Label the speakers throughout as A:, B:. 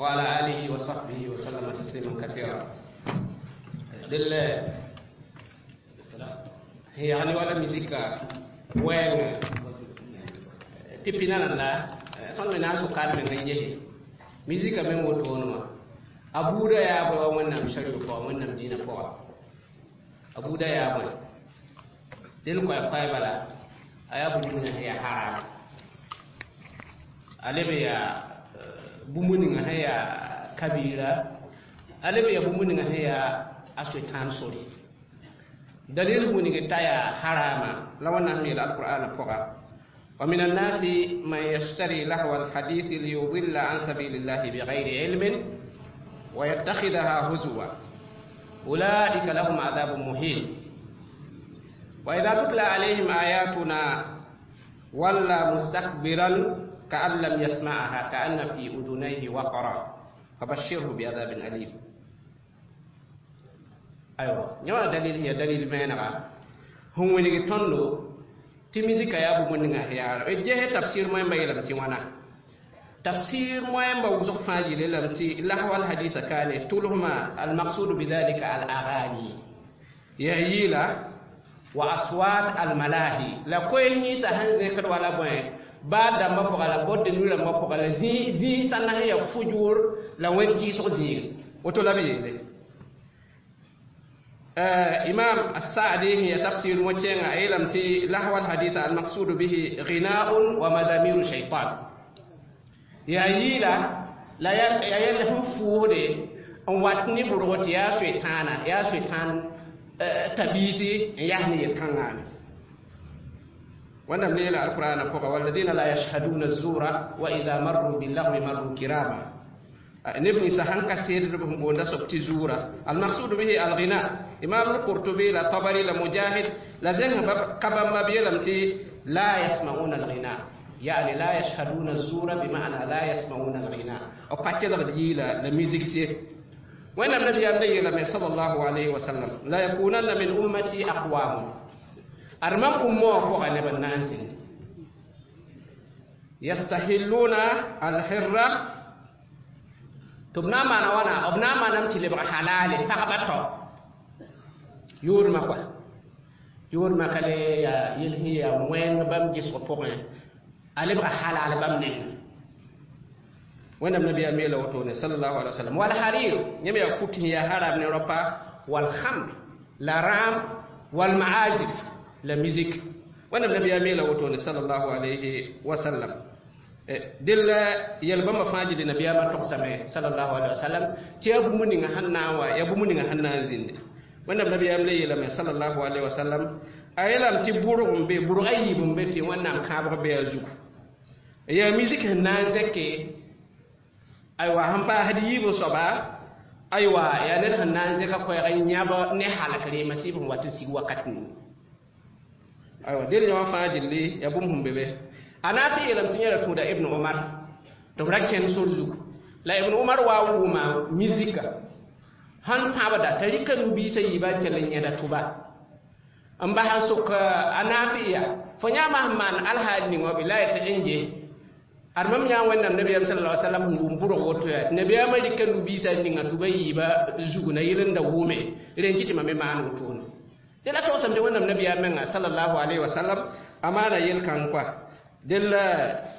A: وعلى آله وصحبه وسلم تسليما كثيرا. دل هي يعني ولا مزيكا وين pipina la tõnd me na n sʋka d meng n yese mizika meng wotone wã a buudã yaa bõe wa Wẽnnaam sariya pʋga, Wẽnnaam dĩinã pʋga, a buudã yaa bõe del koɛɛ-koɛɛ bala a yaa bũmb ninga sẽn yaa haram, a leb yaa bũmb ninga sẽn yaa kabira, a leb yaa bũmb ninga sẽn yaa a soetãan sore. Dalil wingd t'a yaa harama la Wẽnnaam yeel alqur'ana pʋga: ومن الناس من يشتري لهو الحديث ليضل عن سبيل الله بغير علم ويتخذها هزوا أولئك لهم عذاب مهين. وإذا تتلى عليهم آياتنا ولى مستكبرا كأن لم يسمعها كأن في أذنيه وقرا فبشره بعذاب أليم. أيوة نيوا دليل هي دليل مينغا هم ونيجي تندو tɩ mizika yaa bũmb ninga yaa ges tafsir moẽmba yeelame tɩ wãna tafsir moẽmba wʋsg fãa yele lame tɩ lahwa alhadisa kaane tʋlsma almaqsudu bidhalika alaghani yaa yɩɩla wa aswat almalahi la koɛɛs yĩnsã sẽn zẽkd wala bõe baa dãmbã pʋga la bõd nu rãmbã pʋga la zĩig sãn na sẽn yaa fujur la wẽn kɩɩsg zĩig woto la b yeele. إمام السعدي هي تفسير وتشين علم تي لهو الحديث المقصود به غناء ومزامير الشيطان يا يلا لا يا يلا فوده ان واتني بروت يا شيطانا يا شيطان تبيسي يهني الكنغان wannan ne la alquran ko walladina la yashhaduna az-zura wa idha marru bil lagwi marru kirama نبني سهن كثير بهم سبتي زورا المقصود به الغناء. إمام القرطبي لا طبري لا مجاهد لا زين كبا ما بيلمتي لا يسمعون الغناء، يعني لا يشهدون الزور بمعنى لا يسمعون الغناء أو باتي لا لا ميوزيك سي. وإن النبي النبي صلى الله عليه وسلم لا يكونن من أمتي أقوام أرمم أمه فوق الناس يستحلون الحرة tɩ b na n maana wãna b na n maaname tɩ lebg halale pagba tao yʋʋdmã kɔa yʋʋdmã ka le yaa yel sẽn yaa wẽng bãmb gesg pʋgẽ a lebga halal bãmb nengẽ. Wẽnnaam nabiyaam yeela wotone sallallahu alaihi wasallam wal harir yãmb yaa fut sẽn yaa haram ne rapa wal khamr la rãam wal maazif la musique. Wẽnnaam nabiyaam yeela wotone sallallahu alayhi wasallam dell yɛl bãmba fãa gilli nabiyaamã togsame sallallahu alaihi wasallam tɩ yaa bũmb ninga sẽn na n wa yaa bũmb ninga sẽn na n zĩnde. Wẽnnaam nabiyaam le yeelame sallallahu alaihi wasallam a yeelame tɩ bʋrg n be bʋrg a yiib n be tɩ Wẽnnaam kãabg be a zugu yaa musique sẽn na n zẽke aywa sẽn paasd yiib n soaba aywa yaa ned sẽn na n zẽka koɛɛg n yãb ne halk reema sɩɩb sẽn wat n sig wakat ning aywa del yã wã fãa gilli yaa bũmb sẽn be be. Anafi yeelame tɩ yẽra tũuda Ibn Umar tɩ b ra kẽnd sor zugu la Ibn Umar wa wʋʋma mizika sãn tãabda t'a rɩka nu-biisã yiibã n kell n yẽda tʋba n bas n sok a naafi ya fo yãama sẽn maan alhaal ning wã bɩ la ya tɩ n je ad mam yã Wẽnnaam nabiyaam sallallahu alaihi wasallam sẽn wʋm bʋrg woto yaa nabiyaamã rɩka nu-biisã ninga tʋba yiibã zugu na yel n da wʋʋme rẽ n kɩ tɩ mam me maan wotone tɩ la togsame tɩ Wẽnnaam nabiyaam menga sallallahu alaihi wasallam a maana yel-kãng koa del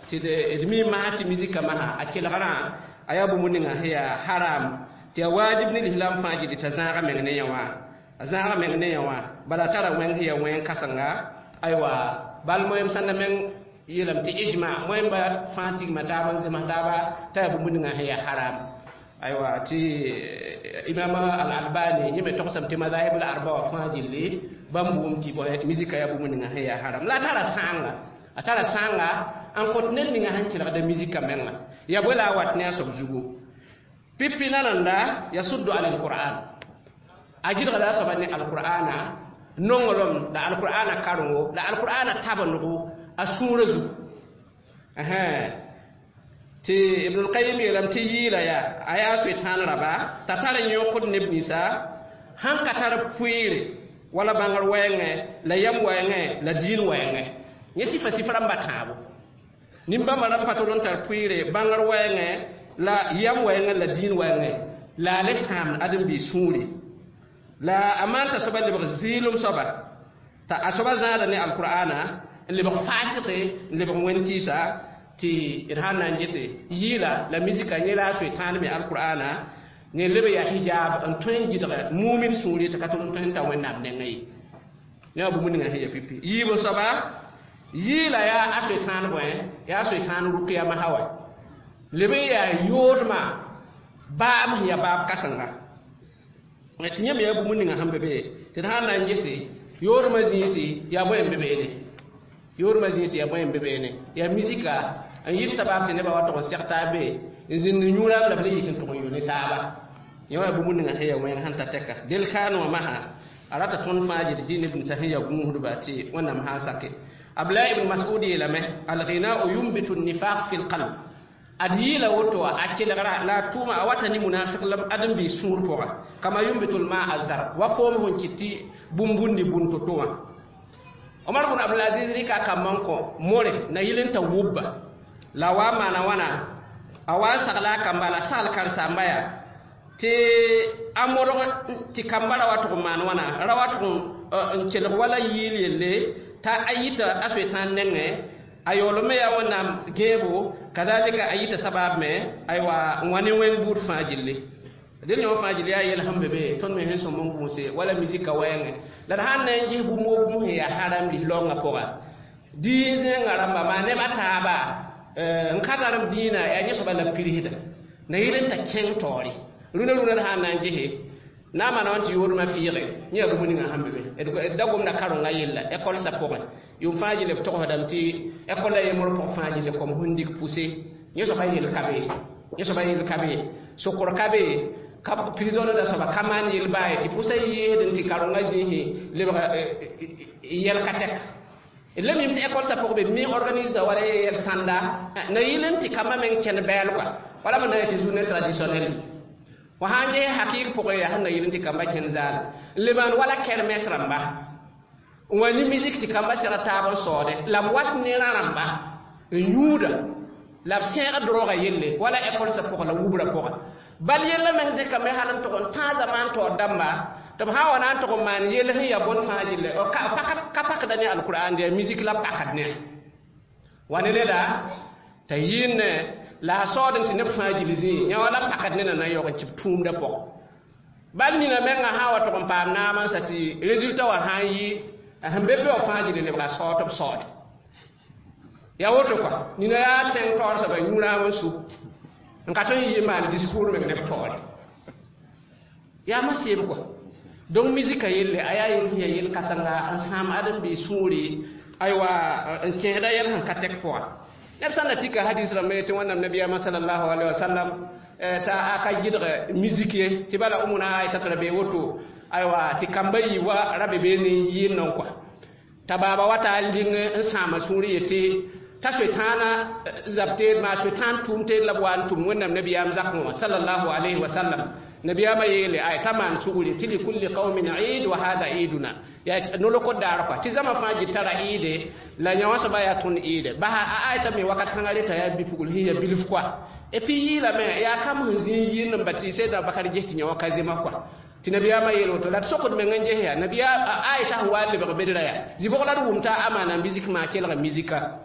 A: tɩ d mi maa tɩ mizika masã a kelgrã a yaa bũmb ninga sẽn yaa haram tɩ yaa wajib ne lislaam fãa gilli t'a zãaga meng ne yã wã a zãaga meng ne yã wã bala a tara wẽng sẽn yaa wẽng kãsenga aywa bal moẽm sãn na meng yeelame tɩ ijma moẽmba fãa tigma taaba n zems taaba t'a yaa bũmb ninga sẽn yaa haram aywa tɩ imam al-albani yẽ me togsame tɩ mazahib al arba wã fãa gilli bãmb wʋm tɩ mizika yaa bũmb ninga sẽn yaa haram la a tara sãanga a tara sãanga n kõt ned ninga sẽn kelgda mizika menga ya bõe la a wat ne a soab zugu pipi nananda yasuddu an alquran a gɩdgda a soaba ne alqur'ana nonglem la alqur'ana karengo la alqur'ana tabendgo a sũurã zugu tɩ Ibn al-Qayyim yeelame tɩ yɩɩla yaa a yaa soetãan raba t'a tar n yõkd neb ninsã sãn ka tar pʋɩɩre wala bãngr wɛɛngẽ la yam wɛɛngẽ la diin wɛɛngẽ yẽ sɩfa sɩf rãmba tãabo nin-bãmba rãmb pa tol n tar pʋɩɩre bãngr wɛɛngẽ La yam wɛɛngẽ la dĩin wɛɛngẽ la a le sãamd ãdem-biis sũuri la a maan t'a soaba lebg zɩɩlem soaba t'a a soaba zãada ne alqur'ana n lebg faasɩke n lebg wẽn-kɩɩsa tɩ d sãn na n gese yɩɩla la misika yẽ la a soetãan me alqur'ana ne leb yaa hijab n tõe n gɩdg mumin sũuri tɩ ka tʋl n tõe n ta wẽnnaam nengẽ ye ne wã bũmb ninga sẽn ya pipi yiib n soaba yɩɩla yaa a soetãan bõe yaa soetãan rʋkɩya masã wa leb n yaa yoodmã baab sẽn yaa baab kãsenga tɩ yãmb yaa bũmb ninga sẽn be be tɩ d sãn na n gese yoodmã zĩisi yaa bõe n be beene yoodmã zĩisi yaa bõe n be beene yaa misika n yɩ sabab tɩ nebã wa tʋg n seg taab be n zĩnd yũuraam la b le yik n tʋg n yʋ ne taaba yẽ wã bũmb ninga sẽn yaa wẽng sẽn ta tɛka del kaan wã masã a rata tõnd fãa gɩd dĩin b sẽn yaa gũusdba tɩ wẽnnaam sã n sake Abdullah ibn Mas'ud yeelame alghina'u yunbitu an-nifaq fi al-qalb ad yɩɩla woto a kelgra la a tʋʋma a wata ne munafiq la ãdem-biis sũur pʋga kama yunbitu al-ma'a az-zar wa koom sẽn kɩt tɩ bũmb bundi bũn to-to wã Omar bn Abdulaziz rɩka a kambã n kõ more na yɩl n ta wubba la a wa n maana wãna a wa n sagla a kamba la sagl karen-saamba yaa tɩ a modg tɩ kamba ra wa tʋg n maan wãna ra wa tʋg n kelg wala yɩɩl yelle t'a a yita a soetãan nengẽ a yaool me yaa wẽnnaam gẽebo kazalika a yita sabab me aywa n wa ne wẽng buud fãa gilli del yõ fãa gilli yaa yɛl sẽn be be tõnd me sẽn sõm n gũuse wala misika wɛɛngẽ la d sãn na n ges bũmb wo bũmb sẽn yaa haram lis-laoongã pʋga dĩin zẽengã rãmba maa neb a taaba n ka garem dĩinã yaa yẽ soaba la b pirsda na yɩl n ta kẽng taoore rũnã rũnã d sãn na n gese na n maana wã tɩ yoodmã fɩɩge yẽ yaa bũmb ninga sẽn be be d da gomda karengã yella école sã pʋgẽ yʋʋm fãa gilli b togsdame tɩ école a yembr pʋg fãa gilli kom sẽn dik pʋse yẽ soaba yel ka be yẽ soaba yel ka be sokr ka be ka prison da soaba ka maan yel baa ye tɩ pʋsã yɩɩsd n tɩ karengã zĩisẽ lebg yɛl ka tɛk d la mim tɩ école sã pʋg be mi organise wala yɛl sãnda na yɩl n tɩ kambã meng kẽnd bɛɛl kɔa wala b na yetɩ journée traditionnelle wa sãn ges hakɩɩg pʋgẽ yaa sẽn na yɩl n tɩ kambã kẽnd zaal n le maan wala kermɛs rãmba n wa ne misik tɩ kambã seg taab n saoode la b wat ne rã rãmba n yũuda la b sẽeg drogã yelle wala école sã pʋgã la wubra pʋgã bal yella meng zɩkame hal n tʋg n tãag zamaan taoor dãmba tɩ b sã n wa na n tʋg n maan yell sẽn yaa bõn fãa gilli ka pakda ne alkur'an yaa misik la pakd ne wa ne neda t'a yɩɩnne la a saood n tɩ neb fãa gill zĩig yã wala pakd ne na na yaoog n tɩ b tũumdã pʋgẽ bal nina mengã sã n wa tʋg n paam naam n sa tɩ résultat wã sã n yɩ sẽn be be wã fãa gilli lebga saood tɩ b saoode yaa woto kɔa nina yaa tẽng taoor soaba yũ-rãam n su n ka tõe n yɩ maan discours meng neb taoore yaa ma seeb kɔa donc misika yelle a yaa yel sẽn yaa yel kãsenga n sãam ãdem-biis sũuri aywa n kẽesda yɛl sẽn ka tɛk pʋga neb sã n da tika hadis rãmba tɩ wẽnnaam nabiyaamã salallahu alaihi wasallam t'a a ka gɩdg misik ye tɩ bala umuna Aisata ra bee woto aywa tɩ kamba yɩ wa ra be bee ne n yɩɩnd n kɔa t'a baaba wata a ling n sãama sũur yetɩ t'a soetãana zab teed maa soetãan tʋʋm teed la b wa n tʋm wẽnnaam nabiyaam zakẽ wã salallahu alaihi wasallam nabiyaamã yeele ay t'a maan sugri tɩ likulli qaumin eid wa hada eiduna yaa nolok daar kɔa tɩ zãma fãa gɩ tara eide la yã wã soaba yaa tõnd eide basa a Aisha me wakat kãngã reta yaa bi-pugl sẽn yaa bilf kɔa et puis yɩɩlame yaa kam sẽn zĩig yɩɩnd n ba tɩ Sedna Bakar ges tɩ yã wã ka zema kɔa tɩ nabiyaamã yeel woto la d sokd meng n ges yaa nabiya Aisha sẽn wa n lebg bedra yaa zɩ-bʋg la d wʋm t'a a maana misik maa kelga misika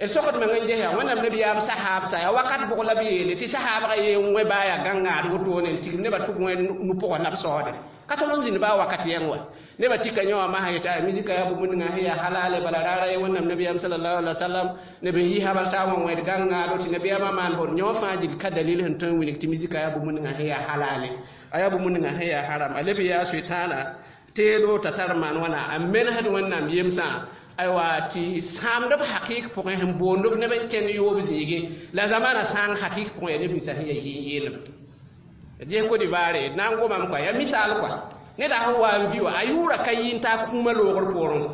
A: d sokd meng n ges yaa wẽnnaam nabiyaam sahaab sa yaa wakat bʋg la b yeele tɩ sahaabga yee n wẽ baa yaa gãngaad wotone n tigim nebã tʋg wẽ nu-pʋgã la b saoode ka tol n zĩnd baa wakat yẽng wa nebã tika yã wã masã yetɩ misika yaa bũmb ninga sẽn yaa halale bala raara ye wẽnnaam nabiyaam salallahu alaihi wasallam neb n yɩ habal taa wã wẽed gãngaado tɩ nabiyaamã maan bõd yã wã fãa gil ka dalil sẽn tõe n wilg tɩ misika yaa bũmb ninga sẽn yaa halale a yaa bũmb ninga sẽn yaa haram a leb yaa soetãana teedo t'a tar maan wãna a menesd wẽnnaam yemsã aywa tɩ sãamd b hakɩɩk pʋgẽ sẽn boond b neb n kẽnd yoob zĩige la zamana sãang hakɩɩk pʋgẽ yaa neb ninsã sẽn yaa yɩɩn-yeelem d ges Côte d'Ivoire d na n gomame kɔa yaa misaal kɔa neda sẽn wa n vi wa a yʋʋra ka yɩ n taa kũumã loogr poorẽ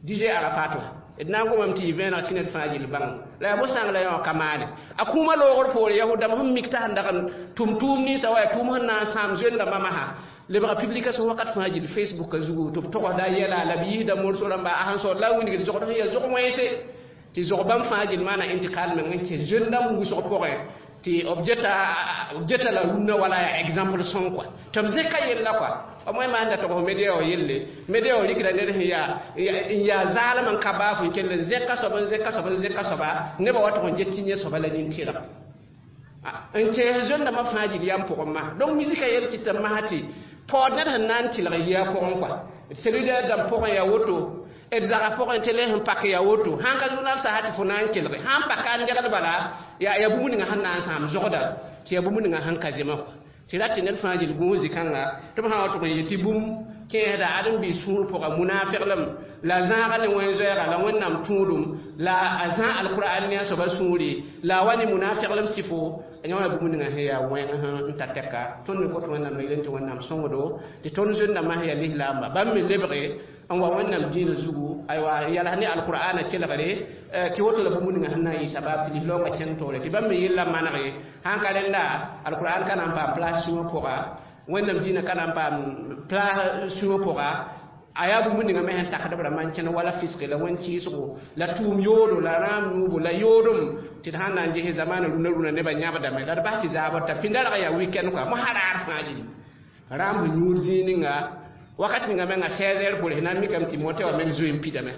A: DJ Arafat wã d na n gomame tɩ yɩ vẽeneg tɩ ned fãa gill bãng la yaa bõe-sãng la yã wã ka maane a kũumã loogr poore yahud-dãmb sẽn mik t'a sẽn dag n tʋm tʋʋm ninsã wa yaa tʋʋm sẽn na n sãam zoend-rãmbã masã lebga publication wakat fãa gill Facebook a zugu tɩ b togsda yɛla la b yiisda morso rãmba a sẽn saood la a wilgd zogd sẽn yaa zog wẽnse tɩ zog bãmb fãa gill maana intikal meng n kẽ zoend-dãmb wʋsg pʋgẽ Tɩ b geta la rũnnã wala yaa exemple sõng kɔa tɩ b zẽka yella kɔa b wẽ maanda tɩ media wã yelle media wã rikda ned sẽn yaa n yaa zaalem n ka baaf n kell n zẽka soab n zẽka soab n zẽka soaba nebã wa tʋg n get tɩ yẽ soaba la nin-tɩrg n kẽes zöndãmbã fãa gil yam pʋgẽ ma. Donc misika yel tɩ tɩ masã tɩ paood ned sẽn na n tɩlg yia pʋgẽ kɔa cellulaire dãmb pʋgẽ yaa woto d zaga pʋgẽ tɩ le sẽn pak yaa woto sãn ka journal sasa tɩ fo na n kelge sãn paka n degd bala yaa bũmb ninga sẽn na n sãam zogda tɩ yaa bũmb ninga sẽn ka zema tɩ rat tɩ ned fãa gil gũus zĩ-kãnga tɩ b sã wa tʋg n yet tɩ bũmb kẽesda ãdem-biis sũur pʋga munaafeglem la zãaga ne wẽn-zoɛɛga la wẽnnaam tũudum la a zã alkur'an ne a soaba sũuri la a wa ne munafeglem sɩfo yã wã bũmb ninga sẽn yaa wẽng n ta tɛka. Tõnd me kot wẽnnaam la yel tɩ wẽnnaam sõngdo tɩ tõnd zöndãmbã sẽn yaa lislaamba bãmb me lebge n wa wẽnnaam dĩinã zugu aywa n yals ne alkur'ana kelgre tɩ woto la bũmb ninga sẽn na n yɩ sabab tɩ lislaoongã kẽng toore tɩ bãmb me yella manege sãn ka rẽnda alkur'an ka na n paam place sũwã pʋga wẽnnaam dĩinã ka na n paam place sũwã pʋga a yaa bũmb ninga me sẽn takd b rãmbã n kẽn wala fisge la wẽn-kɩɩsgo la tʋʋm yoodo la rãam yũubo la yoodem tɩ d sãn na n ges zamaana rũnã rũnã nebã yãbdame la d bas tɩ zaabr t'a pĩnda rag yaa weekend kɔa mosã raar fãa gilli rãam sẽn yũud zĩig ninga wakat ninga menga 16 heures pore na n mikame tɩ mote wã meng zoe n pidame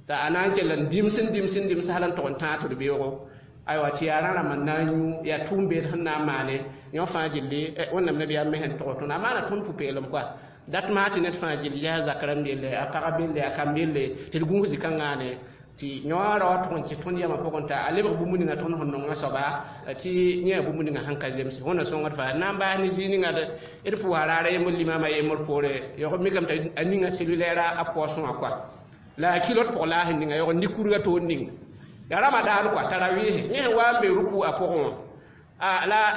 A: t'a a na n kell n dims n dims n dims hal n tʋg n tãag tɩ d beoogo aywa tɩ yaa rã rãmb n na n yũ yaa tʋʋm beed sẽn na n maane yõ fãa gilli wẽnnaam nabiyaam me sẽn tʋg tõnd a maana tõnd pʋ-peelem kɔa dat maa tɩ ned fãa gill yaa zak rãmb yelle a pagã belle a kamb yelle tɩ d gũus zĩ-kãngaane tɩ yõ ra wa tʋg n kɩ tõnd yamã pʋgẽ t'a a lebg bũmb ninga tõnd sẽn nonga soaba tɩ yẽ bũmb ninga sẽn ka zemse wẽnna sõngd faa na n baas ne zĩig ninga d pʋʋsa raara yembr limama yembr poore yog mikame t'a a ninga cellulaire a poosẽ wã kɔa la a kilot pʋg la a sẽn ninga yog n kurga toor ning ya ramadan kɔa tarawɩɩse yẽ sẽn wa n be ruku a pʋgẽ wã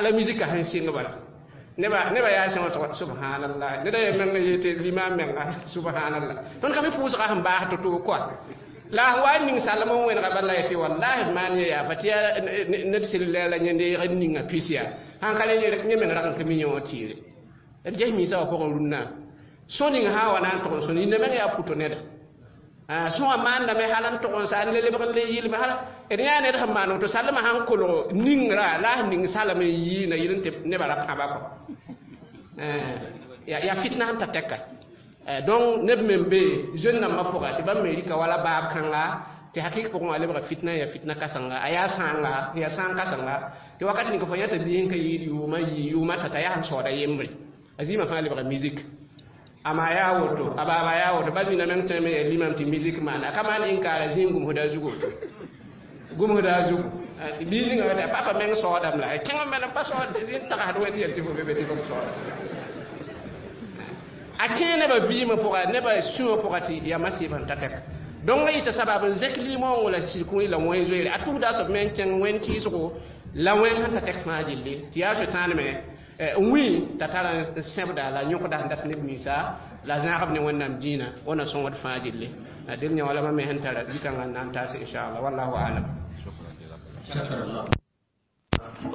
A: la misika sẽn sɩng bala neba yaa sẽn wa subhanallah neda ye meng yetɩ limam menga subhanallah tõnd ka mi pʋʋsga sẽn baas to-to kɔa la wa ning salm n wẽnega bala yetɩ wallahi maan yẽ yaa fa tɩ yaa ned cellulaire la yẽnd ninga pis yaa sãn ka yẽ meng rag n ka mi yẽ wã tɩɩre d ges miisã wã pʋgẽ rũnnã sõ ning sã wa na n tʋg n sõn yĩnda meng yaa pʋto neda sõwã maandame hal n tʋg n sa n le lebg n le yɩlme hal d yãa ned sẽn maan woto salmã sãn kolg ningrã la a sẽn ning salm n yiina yɩl n tɩ nebã ra pãba kɔ yaa fitna sẽn ta tɛka. Donc neb me n be zoe-nambã pʋga tɩ bãmb me rɩka wala baab kãnga tɩ hakɩk pʋgẽ wã lebga fitna yaa fitna kãsenga a yaa sãanga yaa sãang kãsenga tɩ wakat ninga fo yãta biis n ka yɩɩd yʋʋmã yɩ yʋʋmã t'a t'a yaa sẽn saooda yembre a zĩimã fãa lebga musique ama yaa woto a baaba yaa woto bal nina meng tõe me yaa limam tɩ musique maana a ka maan inkaara zĩig gũmsda zugu gũmsda zugu biis ninga wata papa meng saoodame la kẽng me pa saood zĩig tagsd wẽnd yel tɩ fo be be tɩ f saooda a kẽe nebã vɩɩmã pʋga nebã sũwã pʋga tɩ yaa masɩɩb sẽn ta tɛk donc a yɩta sabab n zẽk limõongo la sirkũuri la wẽn zoeere a tugda a soab me n kẽng wẽn kɩɩsgo la wẽn sẽn ta tɛk fãa gilli tɩ yaa sʋtãan me n wĩ t'a tar n sẽbda la yõkda sẽn dat neb ninsã la zãagb ne wẽnnaam dĩinã wẽna sõngd fãa gilli del yã wala mam me sẽn tara zĩ-kãngã n na n taase inchallah wallahu alam.